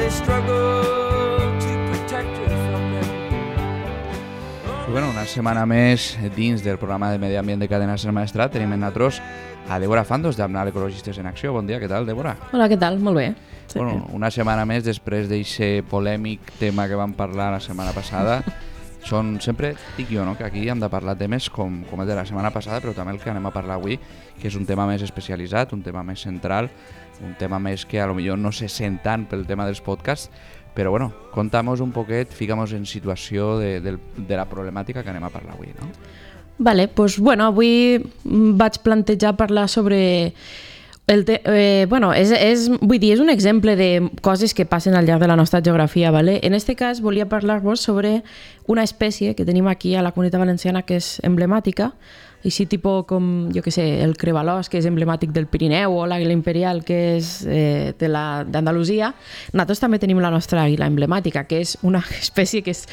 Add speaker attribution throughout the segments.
Speaker 1: they struggle to protect her from them.
Speaker 2: I bueno, una setmana més dins del programa de Medi Ambient de Cadena Ser Maestrat tenim en nosaltres a Débora Fandos d'Amnal Ecologistes en Acció. Bon dia, què tal, Débora?
Speaker 3: Hola, què tal? Molt bé. Sí.
Speaker 2: Bueno, una setmana més després d'aquest polèmic tema que vam parlar la setmana passada. Sempre dic jo, no?, que aquí hem de parlar temes com el de la setmana passada, però també el que anem a parlar avui, que és un tema més especialitzat, un tema més central, un tema més que a lo millor no se sent tant pel tema dels podcasts, però bueno, contamos un poquet, ficamos en situació de la problemàtica que anem a parlar avui, no?
Speaker 3: Vale, doncs bueno, avui vaig plantejar parlar sobre... vull dir, és un exemple de coses que passen al llarg de la nostra geografia, ¿vale? En este cas volia parlar-vos sobre una espècie que tenim aquí a la Comunitat Valenciana que és emblemàtica, així tipus com, jo què sé, el crevalós, que és emblemàtic del Pirineu, o l'àguila imperial, que és d'Andalusia. Nosaltres també tenim la nostra àguila emblemàtica, que és una espècie que és,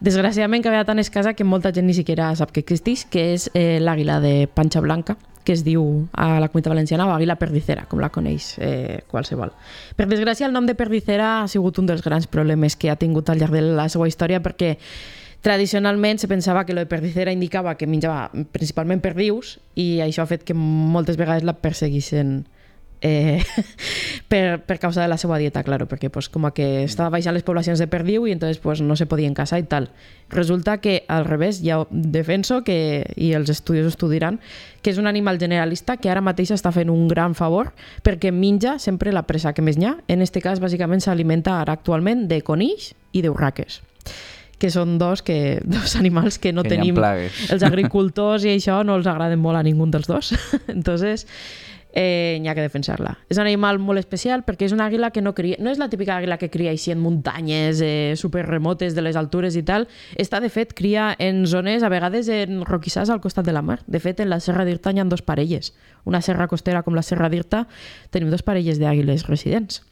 Speaker 3: desgraciadament, cada vegada tan escassa que molta gent ni siquiera sap que existeix, que és l'àguila de panxa blanca, que es diu a la Comunitat Valenciana o àguila perdicera, com la coneix qualsevol. Per desgràcia, el nom de perdicera ha sigut un dels grans problemes que ha tingut al llarg de la seva història, perquè tradicionalment se pensava que lo de perdicera indicava que menjava principalment perdius, i això ha fet que moltes vegades la perseguissin per causa de la seva dieta, claro, perquè pues, com que estava baixant les poblacions de perdiu i entonces pues, no se podien caçar i tal. Resulta que al revés, ja defenso que, i els estudiosos ho diran, que és un animal generalista que ara mateix està fent un gran favor perquè menja sempre la presa que més n'hi ha. En aquest cas, bàsicament, s'alimenta ara actualment de conills i d'urraques, que són dos animals que no tenim. Els agricultors i això no els agraden molt a ningú dels dos. Entonces, n'hi ha que defensar-la. És un animal molt especial perquè és una àguila que no cria, no és la típica àguila que cria així en muntanyes super remotes de les altures i tal. Esta, de fet, cria en zones, a vegades en roquissars al costat de la mar. De fet, en la Serra d'Irta hi ha dos parelles. Una serra costera com la Serra d'Irta tenim dos parelles d'àguiles residents.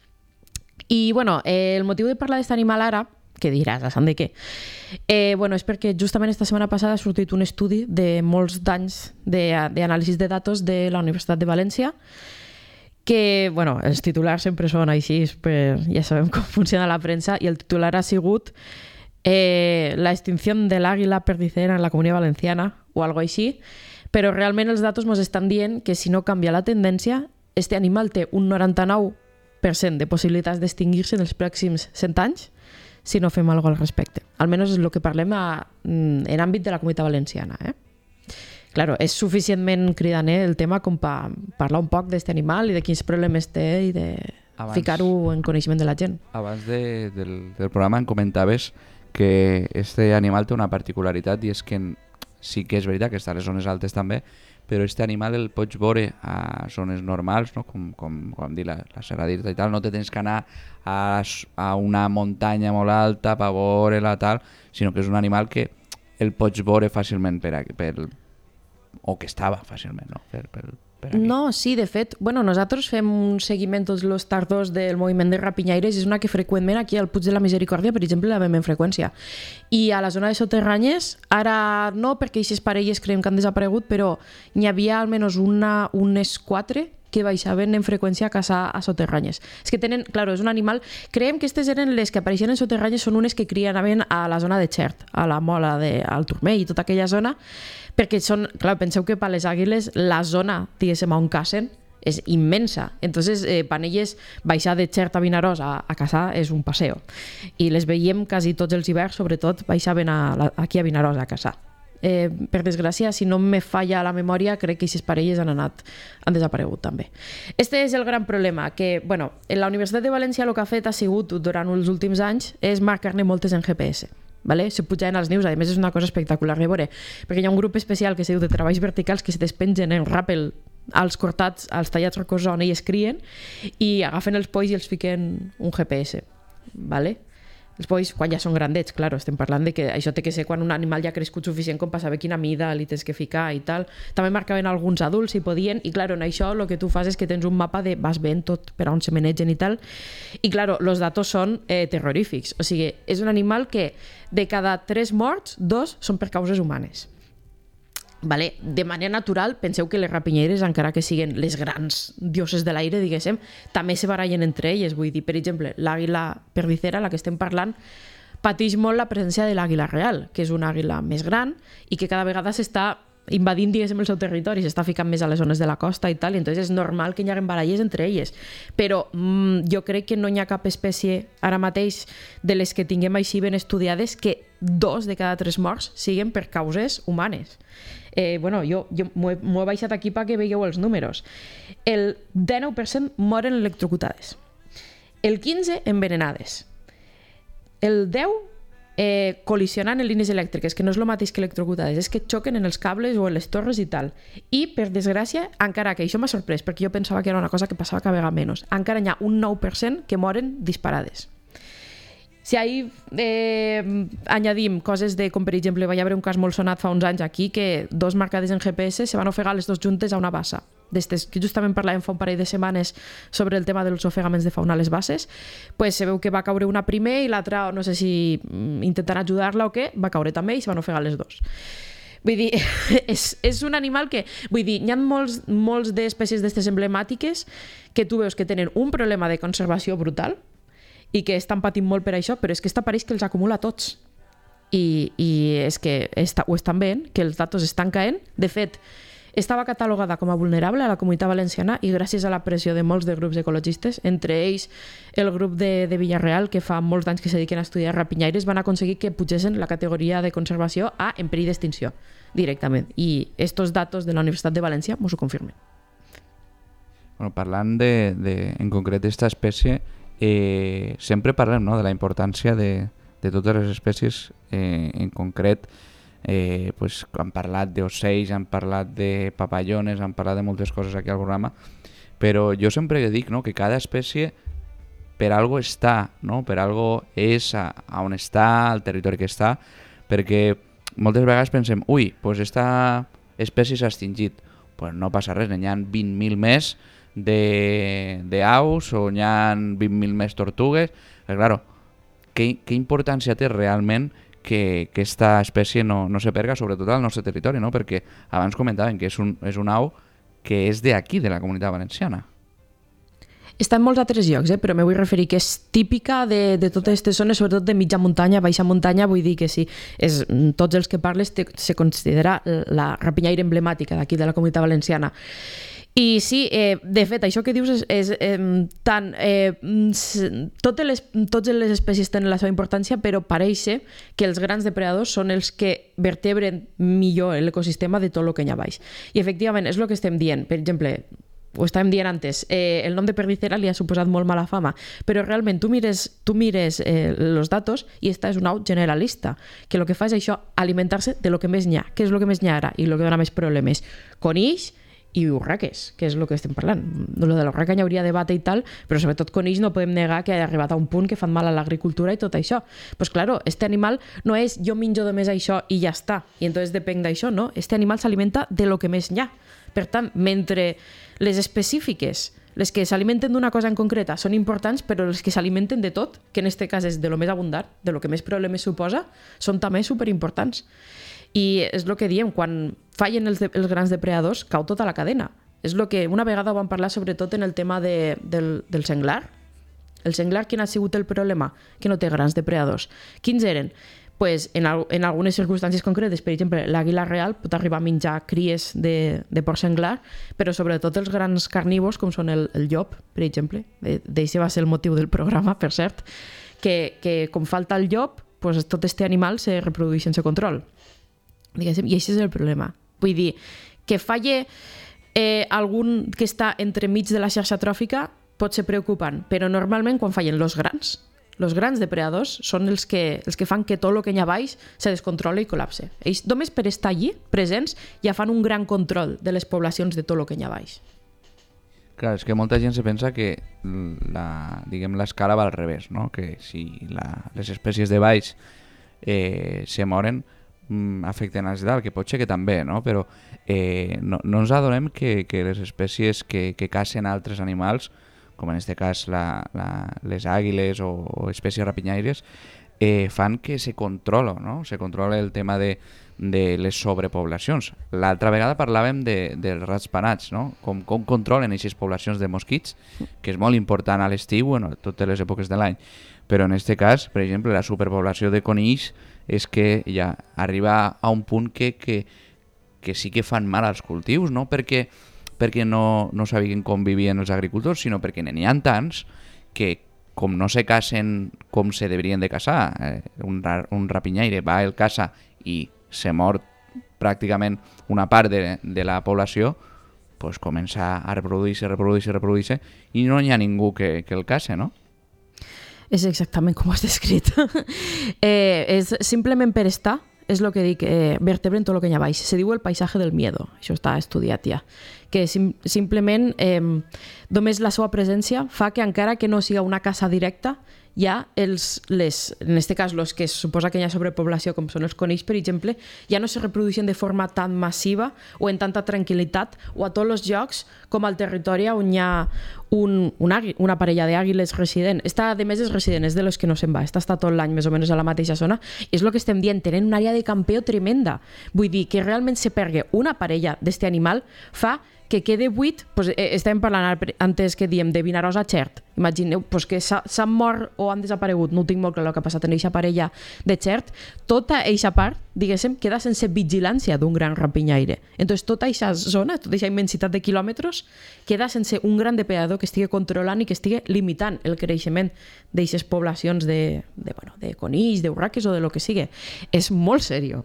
Speaker 3: I, bueno, el motiu de parlar d'aquest animal ara, que diràs, a sant de què? És perquè justament esta setmana passada ha sortit un estudi de molts d'anys d'anàlisis de datos de la Universitat de València, que, els titulars sempre són així, ja sabem com funciona la premsa, i el titular ha sigut la extinció de l'àguila perdicera en la Comunitat Valenciana, o algo així, però realment els datos ens estan dient que si no canvia la tendència, este animal té un 99% de possibilitats d'extingir-se en els pròxims 100 anys, si no fem alguna cosa al respecte. Almenys és el que parlem en àmbit de la Comunitat Valenciana. Claro, és suficientment cridaner el tema com per parlar un poc d'aquest animal i de quins problemes té i de ficar-ho en coneixement de la gent.
Speaker 2: Abans del programa em comentaves que este animal té una particularitat, i és que sí que és veritat que està a les zones altes també, però este animal el pots veure a zones normals, no? com dir la Serra d'Irta i tal, no te tens que anar a una muntanya molt alta per veure-la tal, sinó que és un animal que el pots veure fàcilment o que estava fàcilment, no? Per aquí.
Speaker 3: No, sí, de fet, nosaltres fem un seguiment tots els tardors del moviment de rapinyaires, és una que freqüentment aquí al Puig de la Misericòrdia, per exemple, la veiem en freqüència. I a la zona de soterranyes, ara no, perquè aquestes parelles creiem que han desaparegut, però n'hi havia almenys unes 4 que baixaven en freqüència a caçar a soterranyes. És que tenen, claro, és un animal... Creiem que aquestes eren les que apareixien en soterranyes, són unes que criaven a la zona de Xert, a la Mola, al Turmell i tota aquella zona, perquè són, clar, penseu que per les àguiles la zona, diguéssim, on cacen és immensa. Entonces, per elles, baixar de Xert a Vinaròs a caçar és un passeo. I les veiem quasi tots els hiverns, sobretot, baixaven aquí a Vinaròs a caçar. Per desgràcia, si no me falla la memòria, crec que aquestes parelles han desaparegut també. Este és el gran problema, que en la Universitat de València el que ha fet ha sigut durant els últims anys és marcar-ne moltes en GPS. Se pujaven als nius, a més és una cosa espectacular de veure, perquè hi ha un grup especial que se diu de treballs verticals que se despengen en ràpel als cortats, als tallats rocós on ells crien, i agafen els polls i els fiquen un GPS. Els polls, quan ja són grandets, claro, estem parlant de que això té que ser quan un animal ja ha crescut suficient com per saber quina mida li tens que ficar i tal. També marcaven alguns adults si podien, i claro, en això el que tu fas és que tens un mapa de vas veient tot per on se menegen i tal, i claro, els datos són terrorífics. O sigui, és un animal que de cada 3 morts, 2 són per causes humanes. Vale? De manera natural, penseu que les rapinyeres, encara que siguin les grans dioses de l'aire, diguéssim, també se barallen entre elles. Vull dir, per exemple, l'àguila perdicera, la que estem parlant, pateix molt la presència de l'àguila real, que és una àguila més gran i que cada vegada s'està invadint, diguéssim, el seu territori, s'està ficant més a les zones de la costa i tal, i entonces és normal que hi hagi baralles entre elles. Però jo crec que no hi ha cap espècie ara mateix de les que tinguem així ben estudiades que 2 de cada 3 morts siguin per causes humanes. Bueno, jo m'ho he baixat aquí perquè veieu els números. El 19% moren electrocutades, el 15% envenenades, el 10% col·lisionant en línies elèctriques, que no és el mateix que electrocutades, és que xoquen en els cables o en les torres i tal. I, per desgràcia, encara que això m'ha sorprès, perquè jo pensava que era una cosa que passava cada vegada menys, encara hi ha un 9% que moren disparades. Si ahí añadim coses de, com per exemple, va haver un cas molt sonat fa uns anys aquí, que 2 marcades en GPS se van ofegar les 2 juntes a una bassa. D'estes que justament parlàvem fa un parell de setmanes sobre el tema dels ofegaments de fauna a les basses, pues se veu que va caure una primer i l'altra, no sé si intentant ajudar-la o què, va caure també i se van ofegar les 2. Vull dir, és un animal que... Vull dir, hi ha molts d'espècies d'estes emblemàtiques que tu veus que tenen un problema de conservació brutal i que estan patint molt per això, però és que pareix que els acumula tots. I és que ho estan veient, que els datos estan caent. De fet, estava catalogada com a vulnerable a la Comunitat Valenciana i gràcies a la pressió de molts de grups ecologistes, entre ells el grup de Villarreal, que fa molts anys que se dediquen a estudiar rapinyaires, van aconseguir que pugessin la categoria de conservació a en perill d'extinció directament. I estos datos de la Universitat de València mos ho confirmen.
Speaker 2: Bueno, parlant en concret d'esta espècie, sempre parlem, no?, de la importància de totes les espècies, en concret pues, han parlat d'ocells, han parlat de papallones, han parlat de moltes coses aquí al programa, però jo sempre dic, no?, que cada espècie per algo està, no?, per algo és a on està, al territori que està, perquè moltes vegades pensem, ui, pues esta espècie s'ha extingit. Pues no passa res, n'hi ha 20.000 més d'aus o n'hi ha 20.000 més tortugues. Però, claro, què importància té realment que aquesta espècie no se perga, sobretot al nostre territori, no? Perquè abans comentaven que és un au que és d'aquí, de la Comunitat Valenciana.
Speaker 3: Està en molts altres llocs, però me vull referir que és típica de totes aquestes zones, sobretot de mitja muntanya, baixa muntanya, vull dir que sí, tots els que parles se considera la rapinyaire emblemàtica d'aquí, de la Comunitat Valenciana. I sí, de fet, això que dius és tant... Totes les espècies tenen la seva importància, però pareix ser que els grans depredadors són els que vertebren millor l'ecosistema de tot el que hi ha baix. I efectivament, és el que estem dient. Per exemple, ho estàvem dient antes, el nom de perdicera li ha suposat molt mala fama, però realment tu mires els datos i esta és un au generalista, que el que fa és això, alimentar-se de lo que més n'hi ha. Què és el que més n'hi ha ara i el que dona més problemes? Conills i urraques, que és el que estem parlant. Lo de l'urraca hi hauria debat i tal, però sobretot conills no podem negar que ha arribat a un punt que fan mal a l'agricultura i tot això. Pues claro, este animal no és jo menjo només això i ja està, i entonces depèn d'això, no? Este animal s'alimenta de lo que més n'hi ha. Per tant, mentre les específiques, les que s'alimenten d'una cosa en concreta, són importants, però les que s'alimenten de tot, que en aquest cas és de lo més abundant, de lo que més problemes suposa, són també superimportants. I és el que diem, quan fallen els grans depredadors, cau tota la cadena. És el que una vegada vam parlar sobretot en el tema del senglar. El senglar, quin ha sigut el problema? Que no té grans depredadors. Quins eren? Pues en algunes circumstàncies concretes, per exemple, l'àguila real pot arribar a menjar cries de porc senglar, però sobretot els grans carnívors, com són el llop, per exemple, d'això va ser el motiu del programa, per cert, que com falta el llop, pues tot aquest animal se reprodueix sense control. Diguéssim, i això és el problema. Vull dir, que falle algun que està entremig de la xarxa tròfica pot ser preocupant, però normalment quan fallen els grans depredadors són els que fan que tot el que hi ha baix se descontrola i col·lapse. Ells només per estar allí, presents, ja fan un gran control de les poblacions de tot el que hi ha baix.
Speaker 2: Clar, és que molta gent se pensa que l'escala va al revés, no? Que si les espècies de baix se moren, afecten als de dalt, que pot ser que també, no? Però no ens adonem que les espècies que cacen altres animals, com en aquest cas les àguiles o espècies rapinyaires, fan que se controla, no? Se controla el tema de les sobrepoblacions. L'altra vegada parlàvem dels ratpenats, no? Com controlen aquestes poblacions de mosquits, que és molt important a l'estiu, bueno, a totes les èpoques de l'any. Però en aquest cas, per exemple, la superpoblació de conills és que ja arriba a un punt que sí que fan mal als cultius, no perquè no sabien com vivien els agricultors, sinó perquè n'hi ha tants que, com no se casen com se deurien de casar, un rapinyaire va el caça i se mor pràcticament una part de la població, pues comença a reproduir-se i no hi ha ningú que el case, no?
Speaker 3: És exactament com ho has descrit. És simplement per estar, és el que dic, vertebren tot el que hi ha baix. Se diu el paisatge del miedo, això està estudiat ja. Que simplement només la seva presència fa que encara que no siga una caça directa, ja en aquest cas, els que es suposa que hi ha sobrepoblació, com són els conills, per exemple, ja no se reprodueixen de forma tan massiva o en tanta tranquil·litat o a tots els llocs com al territori on hi ha una parella d'àguiles resident. Esta, a més, és resident, és de los que no se'n va. Esta està tot l'any més o menys a la mateixa zona. És el que estem dient, tenen una àrea de campeo tremenda. Vull dir que realment se pergui una parella d'aquest animal fa que quede buit, doncs, estàvem parlant antes que diem de Vinaròs a Xert. Imagineu doncs, que s'han mort o han desaparegut, no ho tinc molt clar el que ha passat en aquesta parella de Xert, tota aquesta part, diguéssim, queda sense vigilància d'un gran rapinyaire. Entonces, tota aquesta zona, tota aquesta immensitat de quilòmetres, queda sense un gran depredador que estigui controlant i que estigui limitant el creixement d'aquestes poblacions de conills, d'urraques o de lo que sigui. És molt seriós.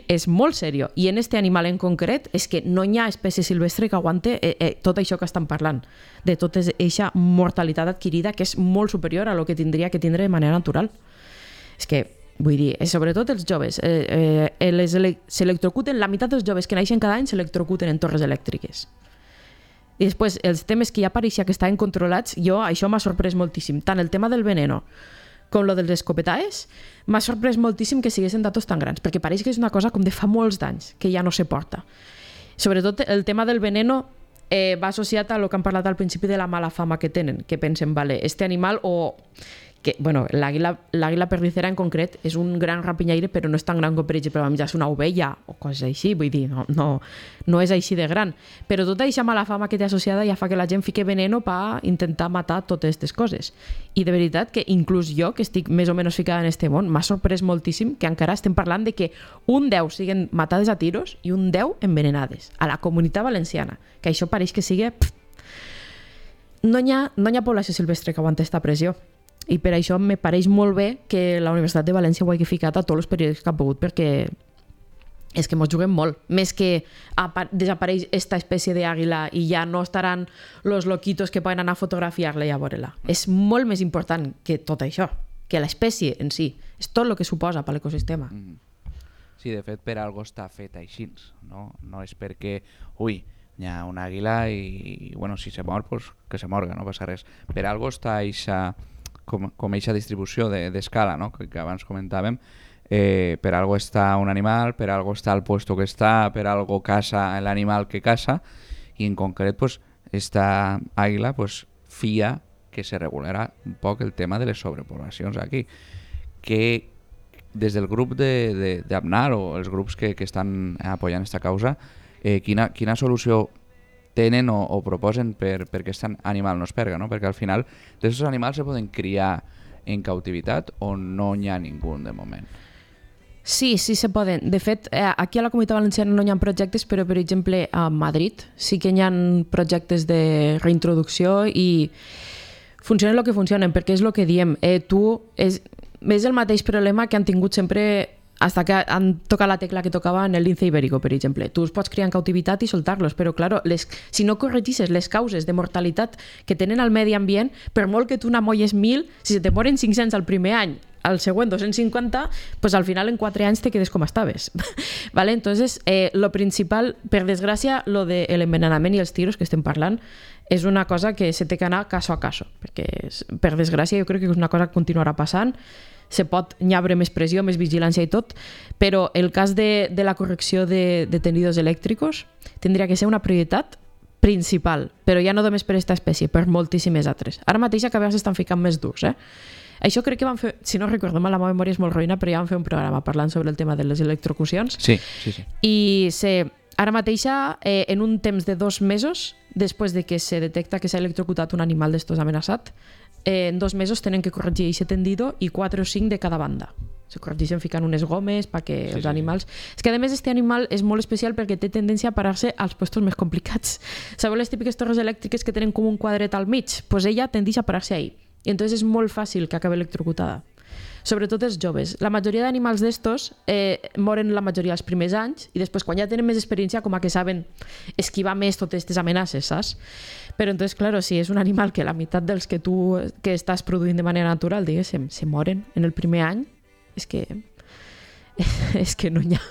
Speaker 3: És molt seriós. I en aquest animal en concret és que no hi ha espècie silvestre que aguante tot això que estan parlant, de tota aquesta mortalitat adquirida que és molt superior a lo que tindria que tindre de manera natural. És que, vull dir, sobretot els joves, s'electrocuten, la meitat dels joves que naixen cada any s'electrocuten en torres elèctriques. I després, els temes que ja pareixia que estaven controlats, això m'ha sorprès moltíssim. Tant el tema del veneno com lo dels escopetaes, m'ha sorprès moltíssim que siguessin datos tan grans, perquè pareix que és una cosa com de fa molts d'anys, que ja no se porta. Sobretot el tema del veneno va associat a lo que han parlat al principi de la mala fama que tenen, que pensen, vale, este animal o... que, bueno, l'àguila perdicera en concret és un gran rapinyaire, però no és tan gran com, per exemple, va menjar-se una ovella o coses així, vull dir, no és així de gran. Però tota aquesta mala fama que té associada ja fa que la gent fique veneno per intentar matar totes aquestes coses. I de veritat que inclús jo, que estic més o menys ficada en este món, m'ha sorprès moltíssim que encara estem parlant de que un 10 siguen matades a tiros i un 10 envenenades a la Comunitat Valenciana, que això pareix que sigui... No hi ha població silvestre que aguanta aquesta pressió. I per això me pareix molt bé que la Universitat de València ho hagi ficat a tots els periòdics que ha pogut, perquè és que mos juguem molt. Més que desapareix esta espècie d'àguila i ja no estaran los loquitos que poden anar a fotografiar-la i a veure-la. És molt més important que tot això, que l'espècie en si. És tot el que suposa per l'ecosistema.
Speaker 2: Sí, de fet, per algo està fet així, no? No és perquè, hi ha una àguila i, bueno, si se mor, pues que se morga, no passa res. Per algo està com aquesta distribució d'escala, no? que abans comentàvem, per algo està un animal, per algo està el puesto que està, per algo caça l'animal que caça, i en concret pues, esta àguila pues, fia que se regularà un poc el tema de les sobrepoblacions aquí, que des del grup d'Abnar o els grups que estan apoyant aquesta causa, quina solució tenen o proposen perquè aquest animal no es perga, no? Perquè al final d'aquests animals se poden criar en cautivitat o no hi ha ningú de moment?
Speaker 3: Sí se poden. De fet, aquí a la Comunitat Valenciana no hi ha projectes, però per exemple a Madrid sí que hi ha projectes de reintroducció i funcionen el que funcionen, perquè és el que diem. És el mateix problema que han tingut sempre hasta que han tocat la tecla que tocava en el lince ibérico, per exemple. Tu els pots criar en cautivitat i soltar-los, però, claro, si no corregisses les causes de mortalitat que tenen al medi ambient, per molt que tu n'amolles 1.000, si se te moren 500 al primer any, al següent 250, pues al final en 4 anys te quedes com estaves. ¿Vale? Entonces, lo principal, per desgràcia, lo de l'envenenament i els tiros que estem parlant, és una cosa que se té que anar caso a caso, perquè, per desgràcia, jo crec que és una cosa que continuarà passant. Hi haurà més pressió, més vigilància i tot, però el cas de la correcció de tendidos elèctricos tindria que ser una prioritat principal, però ja no només per aquesta espècie, per moltíssimes altres. Ara mateix a vegades s'estan ficant més durs, Això crec que van fer, si no recordo mal, la meva memòria és molt roïna, però ja van fer un programa parlant sobre el tema de les electrocucions.
Speaker 2: Sí.
Speaker 3: I ara mateixa, en un temps de 2 mesos, després de que se detecta que s'ha electrocutat un animal d'estos amenaçat, en 2 mesos tenen que corregir aquest tendido i 4 o 5 de cada banda. Se corregeixen ficant unes gomes perquè els animals... És que a més este animal és molt especial perquè té tendència a parar-se als puestos més complicats. Sabeu les típiques torres elèctriques que tenen com un quadret al mig? Pues ella tendeix a parar-se ahí. I entonces és molt fàcil que acabi electrocutada. Sobretot els joves. La majoria d'animals d'estos moren la majoria els primers anys i després quan ja tenen més experiència com a que saben esquivar més totes aquestes amenaces, saps? Però entonces, claro, si és un animal que la meitat dels que tu que estàs produint de manera natural, diguéssim, se moren en el primer any, és que no hi ha.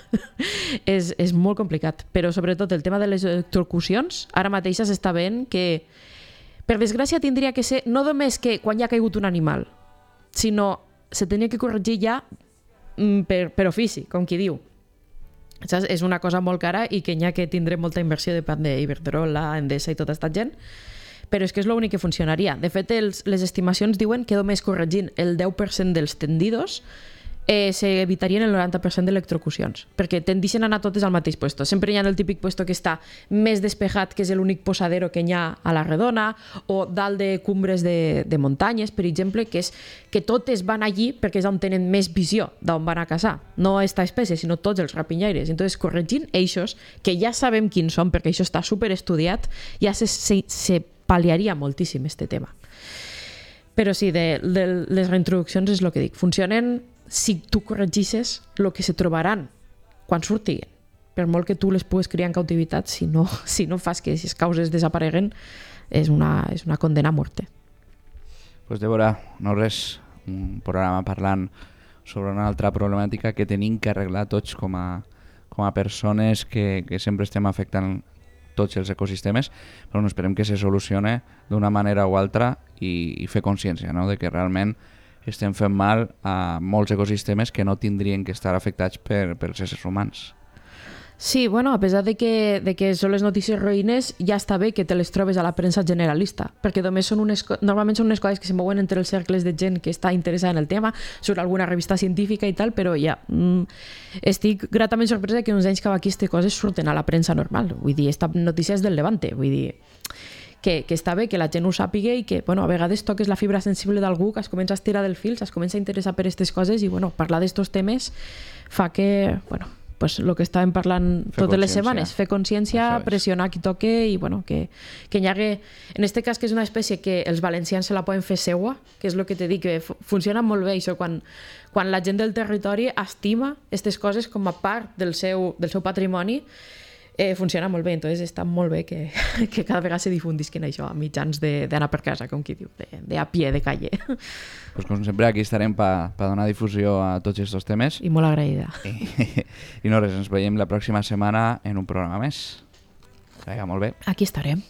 Speaker 3: és molt complicat. Però sobretot el tema de les electrocucions, ara mateix s'està veient que, per desgràcia, tindria que ser no només que quan ja ha caigut un animal, sinó se tenia que corregir ja per ofici, com qui diu. Saps? És una cosa molt cara i que n'hi ha que tindré molta inversió de part d'Iberdrola, Endesa i tota aquesta gent, però és que és l'únic que funcionaria. De fet, les estimacions diuen que només corregint el 10% dels tendidos s'evitarien el 90% d'electrocucions, perquè tendeixen a anar totes al mateix puesto. Sempre hi ha el típic puesto que està més despejat, que és l'únic posadero que hi ha a la redona, o dalt de cumbres de muntanyes, per exemple, que és que totes van allí perquè és on tenen més visió d'on van a caçar. No esta espècie, sinó tots els rapinyaires. Entonces, corregint eixos, que ja sabem quins són, perquè això està superestudiat, ja se pal·liaria moltíssim este tema. Però sí, de les reintroduccions és el que dic. Funcionen si tu corregisses el que se trobaran quan surtin. Per molt que tu les pugues criar en cautivitat, si no fas que aquestes causes desapareguen, és una condena a muerte.
Speaker 2: Pues Débora, no res, un programa parlant sobre una altra problemàtica que tenim que arreglar tots com a persones que sempre estem afectant tots els ecosistemes, però no esperem que se solucione d'una manera o altra i fer consciència, no? De que realment estem fent mal a molts ecosistemes que no tindrien que estar afectats pels éssers humans.
Speaker 3: Sí, bueno, a pesar de que són les notícies roïnes, ja està bé que te les trobes a la premsa generalista, perquè només normalment són unes coses que se mouen entre els cercles de gent que està interessada en el tema, surt alguna revista científica i tal, però ja estic gratament sorpresa que uns anys cap aquí aquestes coses surten a la premsa normal. Vull dir, esta notícia és del Levante, vull dir que està bé que la gent ho sàpiga i que, bueno, a vegades toques la fibra sensible d'algú, que es comença a estirar del fil, es comença a interessar per aquestes coses i, bueno, parlar d'estos temes fa que, bueno, pues lo que estàvem parlant totes les setmanes, fer consciència, pressionar qui toque i, bueno, que hi hagi, en este cas que és una espècie que els valencians se la poden fer seua, que és el que te dic, que funciona molt bé això, quan la gent del territori estima aquestes coses com a part del seu patrimoni, funciona molt bé, entonces està molt bé que cada vegada se difundisquen això a mitjans d'anar per casa, com qui diu, de a pie de calle.
Speaker 2: Pues com sempre aquí estarem per donar difusió a tots aquests temes.
Speaker 3: I molt agraïda.
Speaker 2: I no res, ens veiem la pròxima setmana en un programa més. Que vagi molt bé.
Speaker 3: Aquí estarem.